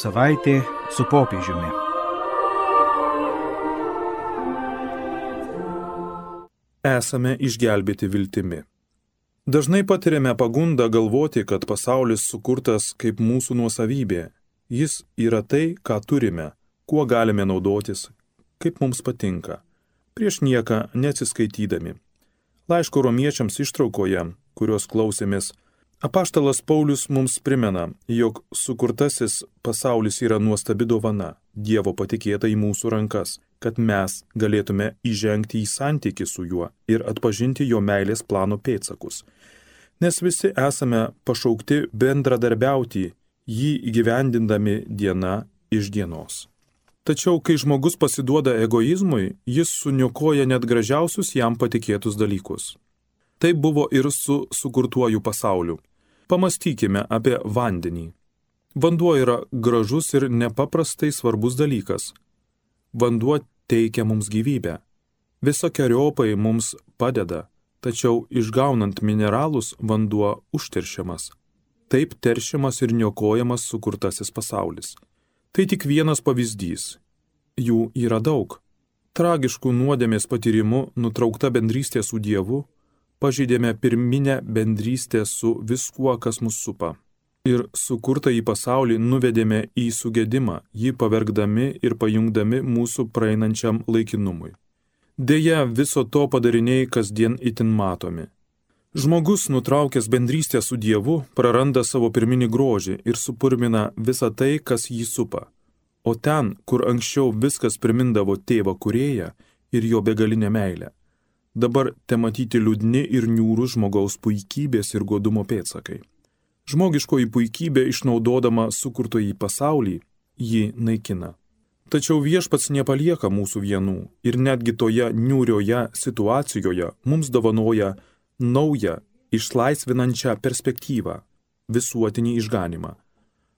Savaitė su popiežiumi. Esame išgelbėti viltimi. Dažnai patiriame pagundą galvoti, kad pasaulis sukurtas kaip mūsų nuosavybė. Jis yra tai, ką turime, kuo galime naudotis, kaip mums patinka, prieš nieką neatsiskaitydami. Laiško romiečiams ištraukoje, kurios klausėmės, apaštalas Paulius mums primena, jog sukurtasis pasaulis yra nuostabi dovana, Dievo patikėta į mūsų rankas, kad mes galėtume įžengti į santykį su juo ir atpažinti jo meilės plano pėdsakus. Nes visi esame pašaukti bendradarbiauti, jį įgyvendindami diena iš dienos. Tačiau, kai žmogus pasiduoda egoizmui, jis suniokoja net gražiausius jam patikėtus dalykus. Tai buvo ir su sukurtuoju pasauliu. Pamastykime apie vandenį. Vanduo yra gražus ir nepaprastai svarbus dalykas. Vanduo teikia mums gyvybę. Visokiojopai mums padeda, tačiau išgaunant mineralus vanduo užteršiamas. Taip teršiamas ir niokojamas sukurtasis pasaulis. Tai tik vienas pavyzdys. Jų yra daug. Tragiškų nuodėmės patyrimu nutraukta bendrystė su Dievu, pažeidėme pirminę bendrystę su viskuo, kas mus supa. Ir sukurtą į pasaulį nuvedėme į sugedimą, jį pavergdami ir pajungdami mūsų praeinančiam laikinumui. Deja, viso to padariniai kasdien itin matomi. Žmogus, nutraukęs bendrystę su Dievu, praranda savo pirminį grožį ir supurmina visą tai, kas jį supa. O ten, kur anksčiau viskas primindavo tėvą kūrėją ir jo begalinę meilę, dabar tematyti liūdni ir niūrūs žmogaus puikybės ir godumo pėdsakai. Žmogiškoji puikybė, išnaudodama sukurtojį pasaulį, jį naikina. Tačiau viešpats nepalieka mūsų vienų ir netgi toje niūrioje situacijoje mums dovanoja naują, išlaisvinančią perspektyvą, visuotinį išganimą.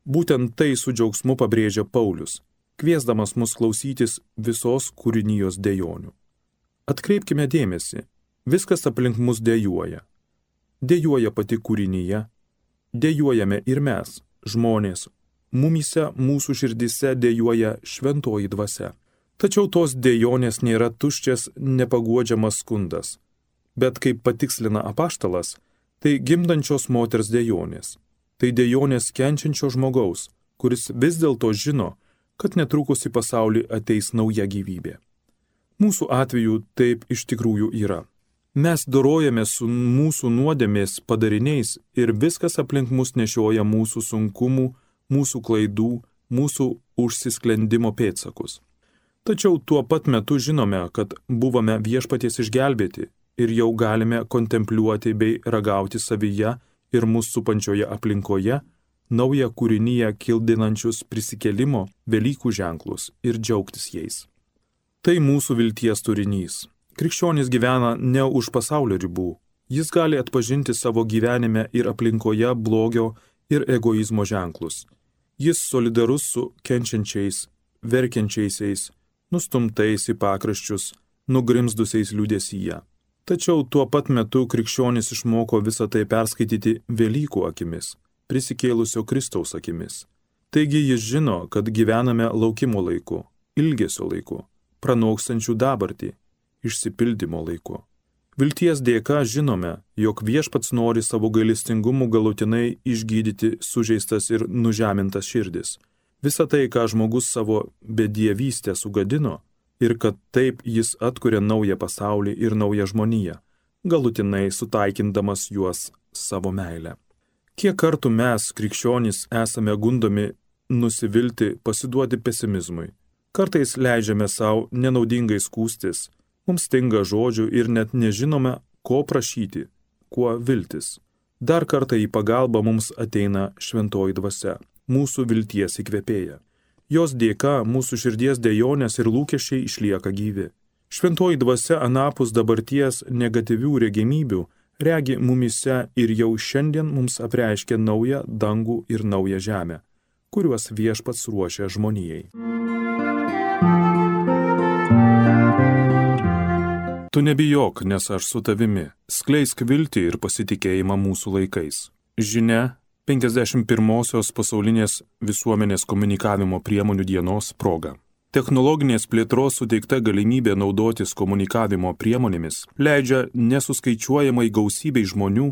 Būtent tai su džiaugsmu pabrėžia Paulius, kviesdamas mus klausytis visos kūrinijos dejonių. Atkreipkime dėmesį, viskas aplink mus dejuoja. Dejuoja pati kūrinyje, dejuojame ir mes, žmonės, mumyse mūsų širdise dejuoja šventoji dvasia. Tačiau tos dejonės nėra tuščias, nepaguodžiamas skundas. Bet kaip patikslina apaštalas, tai gimdančios moters dejonės. Tai dejonės kenčiančio žmogaus, kuris vis dėlto žino, kad netrukus į pasaulį ateis nauja gyvybė. Mūsų atveju taip iš tikrųjų yra. Mes dorojame su mūsų nuodėmės padariniais ir viskas aplink mus nešioja mūsų sunkumų, mūsų klaidų, mūsų užsisklendimo pėdsakus. Tačiau tuo pat metu žinome, kad buvome viešpaties išgelbėti ir jau galime kontempliuoti bei ragauti savyje ir mūsų supančioje aplinkoje naują kūrinyje kildinančius prisikėlimo Velykų ženklus ir džiaugtis jais. Tai mūsų vilties turinys. Krikščionis gyvena ne už pasaulio ribų. Jis gali atpažinti savo gyvenime ir aplinkoje blogio ir egoizmo ženklus. Jis solidarus su kenčiančiais, verkiančiaisiais, nustumtais į pakraščius, nugrimzdusiais liūdesyje. Tačiau tuo pat metu krikščionis išmoko visą tai perskaityti Velykų akimis, prisikėlusio Kristaus akimis. Taigi jis žino, kad gyvename laukimo laiku, ilgesio laiku, pranokstančių dabartį, išsipildymo laiku. Vilties dėka žinome, jog viešpats nori savo gailestingumu galutinai išgydyti sužeistas ir nužemintas širdis. Visa tai, ką žmogus savo bedievystę sugadino, ir kad taip jis atkuria naują pasaulį ir naują žmoniją, galutinai sutaikindamas juos savo meilę. Kiek kartų mes, krikščionys, esame gundomi nusivilti, pasiduoti pesimizmui. Kartais leidžiame savo nenaudingai skųstis, mums stinga žodžių ir net nežinome, ko prašyti, kuo viltis. Dar kartą į pagalbą mums ateina šventoji dvasia, mūsų vilties įkvėpėja. Jos dėka mūsų širdies dejonės ir lūkesčiai išlieka gyvi. Šventoji dvasia anapus dabarties negatyvių regimybių regi mumyse ir jau šiandien mums apreiškia naują dangų ir naują žemę, kuriuos viešpats ruošia žmonijai. Tu nebijok, nes aš su tavimi. Skleisk viltį ir pasitikėjimą mūsų laikais. Žinia, 51-osios pasaulinės visuomenės komunikavimo priemonių dienos proga. Technologinės plėtros suteikta galimybė naudotis komunikavimo priemonėmis leidžia nesuskaičiuojamai gausybei žmonių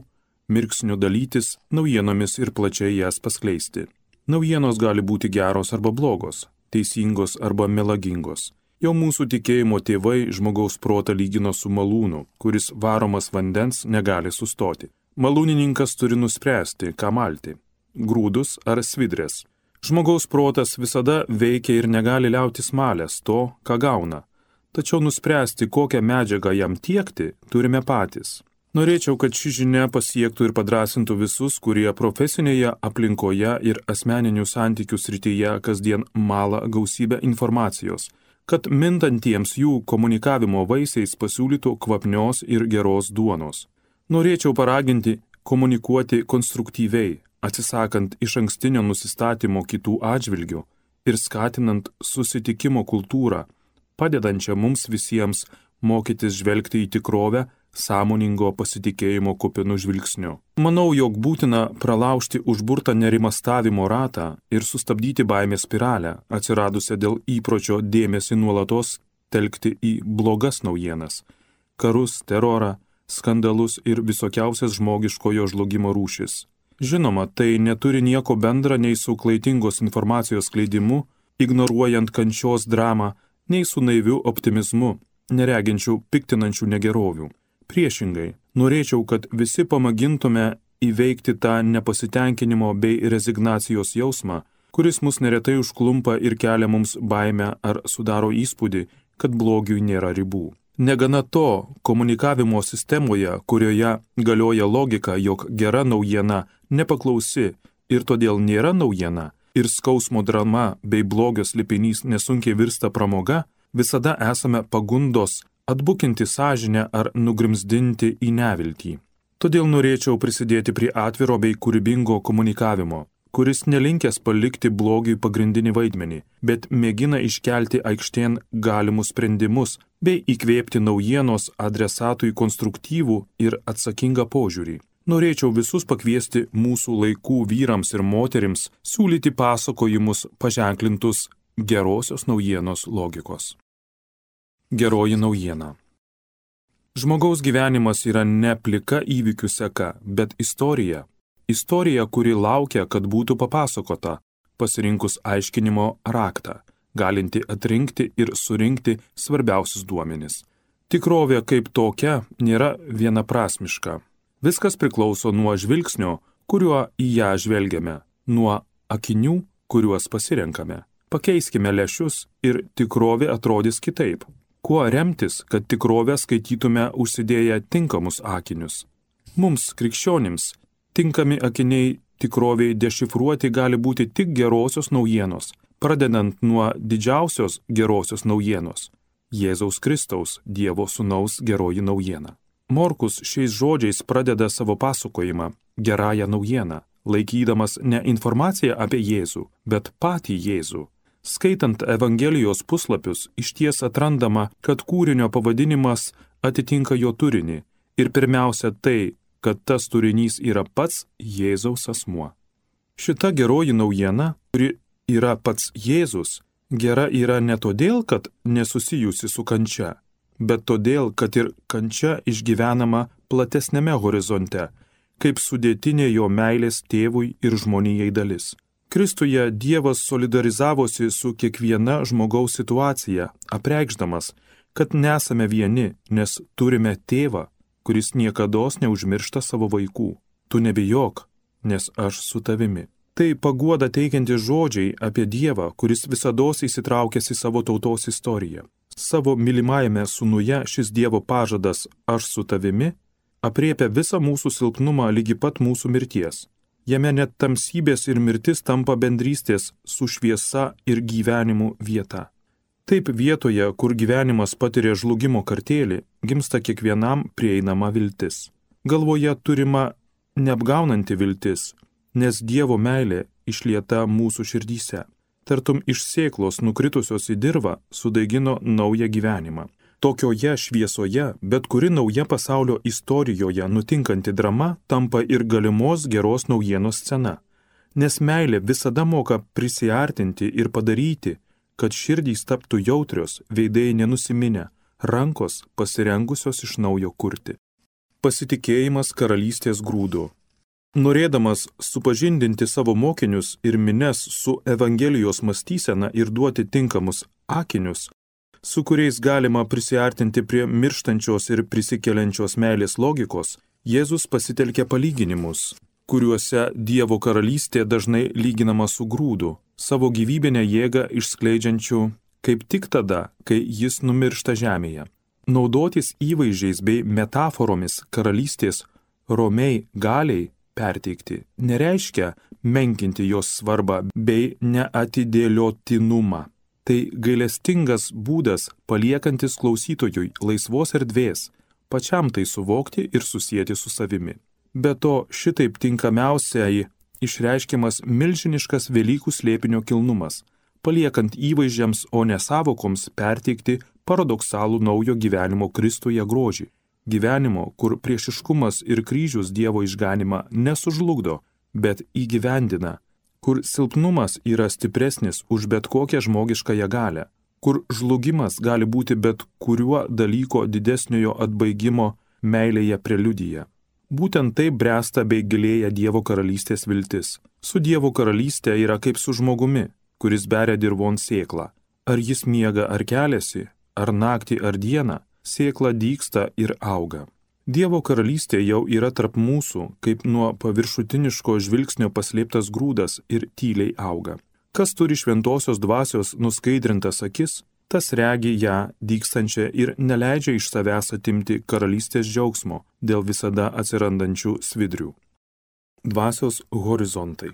mirksniu dalytis naujienomis ir plačiai jas paskleisti. Naujienos gali būti geros arba blogos, teisingos arba melagingos. Jau mūsų tikėjimo tėvai žmogaus protą lygino su malūnu, kuris varomas vandens negali sustoti. Malūnininkas turi nuspręsti, ką malti – grūdus ar svidrės. Žmogaus protas visada veikia ir negali liautis malęs to, ką gauna. Tačiau nuspręsti, kokią medžiagą jam tiekti, turime patys. Norėčiau, kad ši žinia pasiektų ir padrasintų visus, kurie profesinėje aplinkoje ir asmeninių santykių srityje kasdien mala gausybę informacijos, kad mintantiems jų komunikavimo vaisiais pasiūlytų kvapnios ir geros duonos. Norėčiau paraginti komunikuoti konstruktyviai, atsisakant išankstinio nusistatymo kitų atžvilgių ir skatinant susitikimo kultūrą, padedančią mums visiems mokytis žvelgti į tikrovę sąmoningo pasitikėjimo kupinu žvilgsniu. Manau, jog būtina pralaužti užburtą nerimastavimo ratą ir sustabdyti baimės spiralę, atsiradusią dėl įpročio dėmesį nuolatos telkti į blogas naujienas, karus, terorą, skandalus ir visokiausias žmogiškojo žlugimo rūšis. Žinoma, tai neturi nieko bendra nei su klaidingos informacijos skleidimu, ignoruojant kančios dramą, nei su naiviu optimizmu, nereginčių piktinančių negerovių. Priešingai, norėčiau, kad visi pamėgintume įveikti tą nepasitenkinimo bei rezignacijos jausmą, kuris mus neretai užklumpa ir kelia mums baimę ar sudaro įspūdį, kad blogiui nėra ribų. Negana to, komunikavimo sistemoje, kurioje galioja logika, jog gera naujiena nepaklausi ir todėl nėra naujiena, ir skausmo drama bei blogio slėpinys nesunkiai virsta pramoga, visada esame pagundos atbukinti sąžinę ar nugrimzdinti į neviltį. Todėl norėčiau prisidėti prie atviro bei kūrybingo komunikavimo, kuris nelinkęs palikti blogiui pagrindinį vaidmenį, bet mėgina iškelti aikštėn galimus sprendimus bei įkvėpti naujienos adresatui konstruktyvų ir atsakingą požiūrį. Norėčiau visus pakviesti mūsų laikų vyrams ir moterims siūlyti pasakojimus paženklintus gerosios naujienos logikos. Geroji naujiena. Žmogaus gyvenimas yra ne plika įvykių seka, bet istorija. Istorija, kuri laukia, kad būtų papasakota, pasirinkus aiškinimo raktą, galinti atrinkti ir surinkti svarbiausius duomenis. Tikrovė kaip tokia nėra vienaprasmiška. Viskas priklauso nuo žvilgsnio, kuriuo į ją žvelgiame, nuo akinių, kuriuos pasirenkame. Pakeiskime lęšius ir tikrovė atrodys kitaip. Kuo remtis, kad tikrovę skaitytume užsidėję tinkamus akinius? Mums, krikščionims, tinkami akiniai tikroviai dešifruoti gali būti tik gerosios naujienos, pradedant nuo didžiausios gerosios naujienos – Jėzaus Kristaus, Dievo Sūnaus geroji naujiena. Morkus šiais žodžiais pradeda savo pasakojimą gerąją naujieną, laikydamas ne informaciją apie Jėzų, bet patį Jėzų. Skaitant Evangelijos puslapius, išties atrandama, kad kūrinio pavadinimas atitinka jo turinį ir pirmiausia tai, kad tas turinys yra pats Jėzaus asmuo. Šita geroji naujiena, kuri yra pats Jėzus, gera yra ne todėl, kad nesusijusi su kančia, bet todėl, kad ir kančia išgyvenama platesnėme horizonte, kaip sudėtinė jo meilės tėvui ir žmonijai dalis. Kristuje Dievas solidarizavosi su kiekviena žmogaus situacija, apreikšdamas, kad nesame vieni, nes turime tėvą, kuris niekados neužmiršta savo vaikų. Tu nebijok, nes aš su tavimi. Tai paguoda teikianti žodžiai apie Dievą, kuris visados įsitraukęs į savo tautos istoriją. Savo mylimajame sūnuje šis Dievo pažadas aš su tavimi apriepia visą mūsų silpnumą lygi pat mūsų mirties. Jame net tamsybės ir mirtis tampa bendrystės su šviesa ir gyvenimu vieta. Taip vietoje, kur gyvenimas patiria žlugimo kartėlį, gimsta kiekvienam prieinama viltis. Galvoje turima neapgaunanti viltis, nes Dievo meilė išlieta mūsų širdyse. Tartum iš sėklos nukritusios į dirvą sudaigino naują gyvenimą. Tokioje šviesoje, bet kuri nauja pasaulio istorijoje nutinkanti drama tampa ir galimos geros naujienos scena. Nes meilė visada moka prisiartinti ir padaryti, kad širdys taptų jautrios, veidai nenusiminę, rankos pasirengusios iš naujo kurti. Pasitikėjimas karalystės grūdu. Norėdamas supažindinti savo mokinius ir mines su Evangelijos mąstysena ir duoti tinkamus akinius, su kuriais galima prisiartinti prie mirštančios ir prisikeliančios meilės logikos, Jėzus pasitelkė palyginimus, kuriuose Dievo karalystė dažnai lyginama su grūdu, savo gyvybinę jėgą išskleidžiančiu kaip tik tada, kai jis numiršta žemėje. Naudotis įvaizdžiais bei metaforomis karalystės romiai galiai perteikti nereiškia menkinti jos svarbą bei neatidėliotinumą. Tai gailestingas būdas paliekantis klausytojui laisvos erdvės, pačiam tai suvokti ir susieti su savimi. Be to, šitaip tinkamiausiai išreiškiamas milžiniškas Velykų slėpinio kilnumas, paliekant įvaizdžiams, o ne sąvokoms perteikti paradoksalų naujo gyvenimo Kristuje grožį. Gyvenimo, kur priešiškumas ir kryžius Dievo išganimą nesužlugdo, bet įgyvendina, kur silpnumas yra stipresnis už bet kokią žmogiškąją galią, kur žlugimas gali būti bet kuriuo dalyko didesniojo atbaigimo meilėje preliudija. Būtent taip bręsta bei gilėja Dievo karalystės viltis. Su Dievo karalystė yra kaip su žmogumi, kuris beria dirvon sėklą. Ar jis miega ar keliasi, ar naktį ar dieną, sėkla dygsta ir auga. Dievo karalystė jau yra tarp mūsų, kaip nuo paviršutiniško žvilgsnio paslėptas grūdas ir tyliai auga. Kas turi šventosios dvasios nuskaidrintas akis, tas regi ją dygstančią ir neleidžia iš savęs atimti karalystės džiaugsmo dėl visada atsirandančių svidrių. Dvasios horizontai.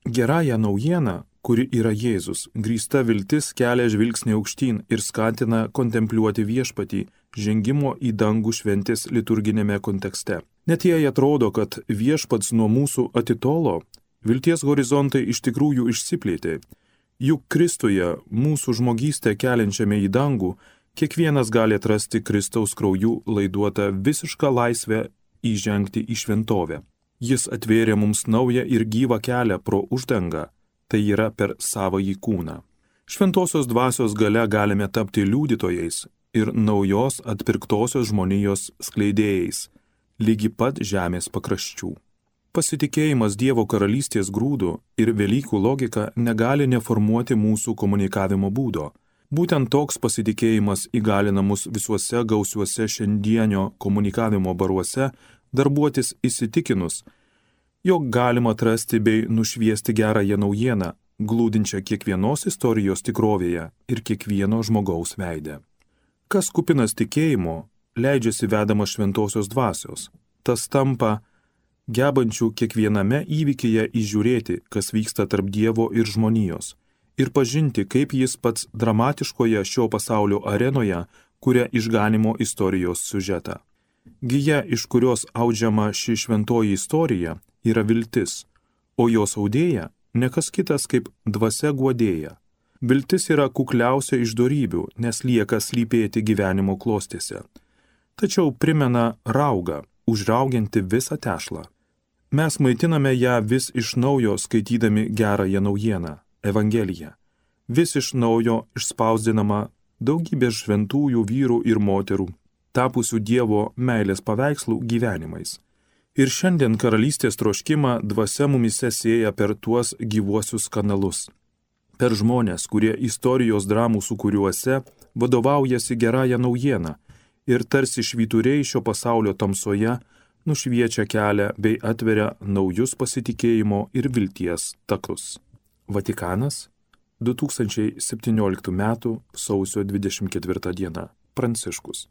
Gerąją naujieną, kuri yra Jėzus, grįsta viltis kelia žvilgsnį aukštyn ir skatina kontempliuoti viešpatį žengimo į dangų šventės liturginėme kontekste. Net jei atrodo, kad viešpats nuo mūsų atitolo, vilties horizontai iš tikrųjų išsiplėtė. Juk Kristuje, mūsų žmogystę keliančiame į dangų, kiekvienas gali atrasti Kristaus krauju laiduotą visišką laisvę įžengti į šventovę. Jis atvėrė mums naują ir gyvą kelią pro uždangą, tai yra per savąjį kūną. Šventosios dvasios gale galime tapti liudytojais ir naujos atpirktosios žmonijos skleidėjais, lygi pat žemės pakraščių. Pasitikėjimas Dievo karalystės grūdu ir Velykų logika negali neformuoti mūsų komunikavimo būdo. Būtent toks pasitikėjimas įgalina mus visuose gausiuose šiandienio komunikavimo baruose darbuotis įsitikinus, jog galima atrasti bei nušviesti gerąją naujieną, glūdinčią kiekvienos istorijos tikrovėje ir kiekvieno žmogaus veide. Kas kupinas tikėjimo, leidžiasi vedamas šventosios dvasios, tas tampa gebančių kiekviename įvykyje įžiūrėti, kas vyksta tarp Dievo ir žmonijos, ir pažinti, kaip jis pats dramatiškoje šio pasaulio arenoje kuria išganimo istorijos siužetą. Gija, iš kurios audžiama ši šventoji istorija, yra viltis, o jos audėja ne kas kitas kaip dvasia guodėja. Viltis yra kukliausia iš dorybių, nes lieka slypėti gyvenimo klostėse. Tačiau primena raugą, užraugianti visą tešlą. Mes maitiname ją vis iš naujo skaitydami gerąją naujieną, Evangeliją. Vis iš naujo išspausdinama daugybė šventųjų vyrų ir moterų, tapusių Dievo meilės paveikslų gyvenimais. Ir šiandien karalystės troškimą dvasia mumise sėja per tuos gyvuosius kanalus. Per žmonės, kurie istorijos dramų sūkuriuose vadovaujasi gerąją naujieną ir tarsi švyturiai šio pasaulio tamsoje nušviečia kelią bei atveria naujus pasitikėjimo ir vilties takus. Vatikanas, 2017 m. sausio 24 d. Pranciškus.